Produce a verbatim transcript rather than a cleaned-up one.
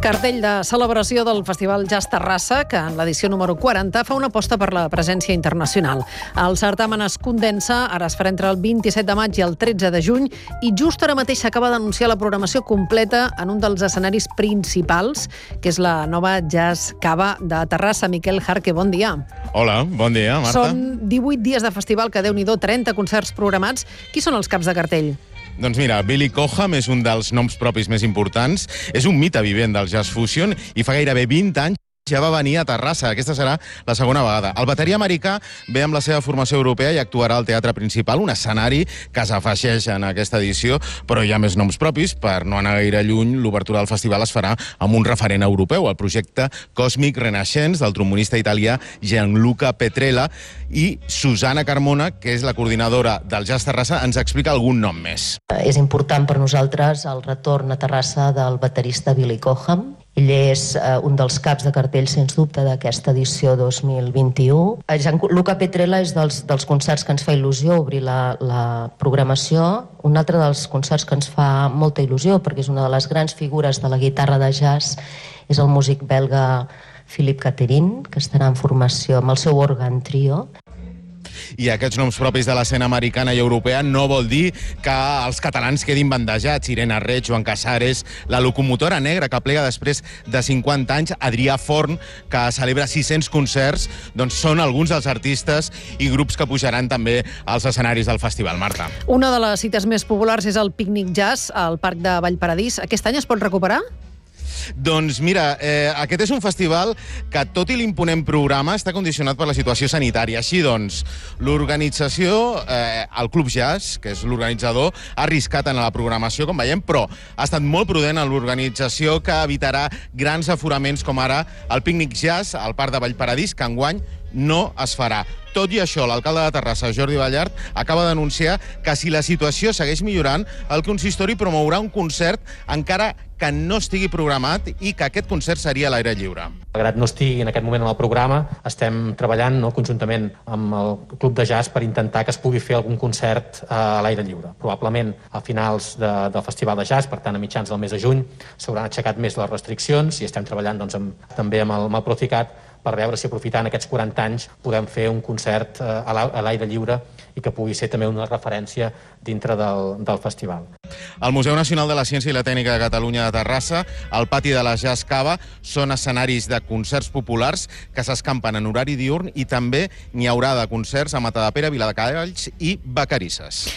Cartell de celebració del Festival Jazz Terrassa, que en l'edició número quaranta fa una aposta per la presència internacional. El certamen es condensa, ara es farà entre el vint-i-set de maig i el tretze de juny, i just ara mateix s'acaba d'anunciar la programació completa en un dels escenaris principals, que és la nova Jazz Cava de Terrassa. Miquel Jarque, bon dia. Hola, bon dia, Marta. Són divuit dies de festival, que Déu-n'hi-do, trenta concerts programats. Qui són els caps de cartell? Doncs mira, Billy Cobham és un dels noms propis més importants, és un mite vivent del jazz fusion i fa gairebé vint anys ja va venir a Terrassa. Aquesta serà la segona vegada. El bateria americà ve amb la seva formació europea i actuarà al Teatre Principal, un escenari que s'afegeix en aquesta edició, però hi ha més noms propis. Per no anar gaire lluny, l'obertura del festival es farà amb un referent europeu, el projecte Cosmic Renaissance del trombonista italià Gianluca Petrella, i Susana Carmona, que és la coordinadora del Jazz Terrassa, ens explica algun nom més. És important per nosaltres el retorn a Terrassa del baterista Billy Cobham. Ell és eh, un dels caps de cartell, sens dubte, d'aquesta edició dos mil vint-i-u. Gianluca Petrella és dels, dels concerts que ens fa il·lusió obrir la, la programació. Un altre dels concerts que ens fa molta il·lusió, perquè és una de les grans figures de la guitarra de jazz, és el músic belga Philippe Catherine, que estarà en formació amb el seu òrgan trio. I aquests noms propis de l'escena americana i europea no vol dir que els catalans quedin bandejats. Irene Reig, Joan Casares, la locomotora negra que plega després de cinquanta anys, Adrià Forn, que celebra sis-cents concerts, doncs són alguns dels artistes i grups que pujaran també als escenaris del festival. Marta. Una de les cites més populars és el Pícnic Jazz al Parc de Vallparadís. Aquest any es pot recuperar? Doncs mira, eh, aquest és un festival que, tot i l'imponent programa, està condicionat per la situació sanitària. Així doncs, l'organització, eh, el Club Jazz, que és l'organitzador, ha arriscat en la programació, com veiem, però ha estat molt prudent en l'organització, que evitarà grans aforaments com ara el Pícnic Jazz al Parc de Vallparadís, que enguany no es farà. Tot i això, l'alcalde de Terrassa, Jordi Ballart, acaba d'anunciar que si la situació segueix millorant, el consistori promourà un concert encara que no estigui programat i que aquest concert seria a l'aire lliure. Malgrat no estigui en aquest moment en el programa, estem treballant no, conjuntament amb el Club de Jazz per intentar que es pugui fer algun concert a l'aire lliure. Probablement a finals de, del Festival de Jazz, per tant a mitjans del mes de juny, s'hauran aixecat més les restriccions i estem treballant doncs, amb, també amb el, amb el Procicat per veure si aprofitant aquests quaranta anys podem fer un concert eh, a l'aire lliure i que pugui ser també una referència dintre del, del festival. El Museu Nacional de la Ciència i la Tècnica de Catalunya de Terrassa, el pati de la Jazz Cava, són escenaris de concerts populars que s'escampen en horari diürn i també n'hi haurà de concerts a Matadepera, Viladecavalls i Vacarisses.